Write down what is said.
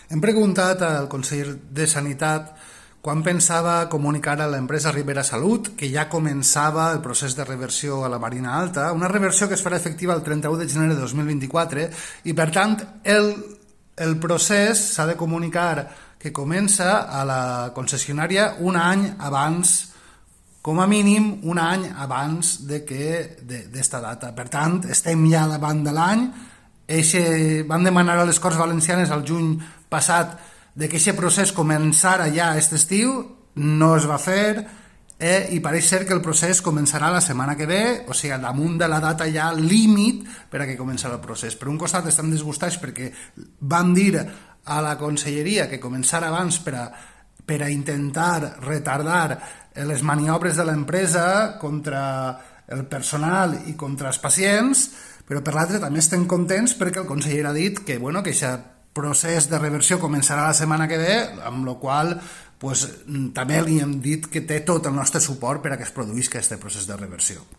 Hem preguntat al conseller de Sanitat quan pensava comunicar a l'empresa Ribera Salut que ja començava el procés de reversió a la Marina Alta, una reversió que es farà efectiva el 31 de gener de 2024 i, per tant, el procés s'ha de comunicar que comença a la concessionària un any abans, com a mínim un any abans d'esta data. Per tant, estem ja davant de l'any. Van demanar a les Corts Valencianes al juny passat que aquest procés començara ja aquest estiu, no es va fer i pareix ser que el procés començarà la setmana que ve, o sigui, damunt de la data ja límit per a que començarà el procés. Per un costat estan disgustats perquè van dir a la conselleria que començara abans per a intentar retardar les maniobres de l'empresa contra el personal i contra els pacients, però per l'altre també estem contents perquè el conseller ha dit que aquest procés de reversió començarà la setmana que ve, amb la qual també li hem dit que té tot el nostre suport per a que es produïsca aquest procés de reversió.